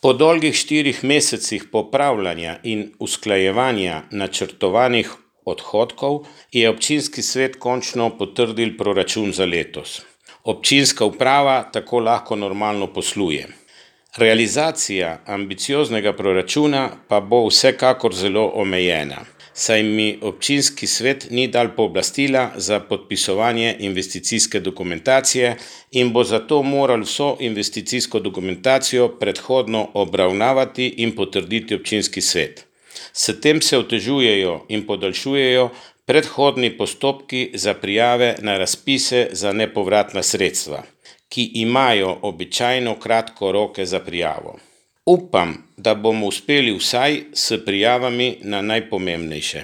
Po dolgih 4 mesecih popravljanja in usklajevanja načrtovanih odhodkov je občinski svet končno potrdil proračun za letos. Občinska uprava tako lahko normalno posluje. Realizacija ambicioznega proračuna pa bo vsekakor zelo omejena, saj mi občinski svet ni dal pooblastila za podpisovanje investicijske dokumentacije in bo zato moral vso investicijsko dokumentacijo predhodno obravnavati in potrditi občinski svet. S tem se otežujejo in podaljšujejo predhodni postopki za prijave na razpise za nepovratna sredstva, ki imajo običajno kratko roke za prijavo. Upam, da bomo uspeli vsaj s prijavami na najpomembnejše.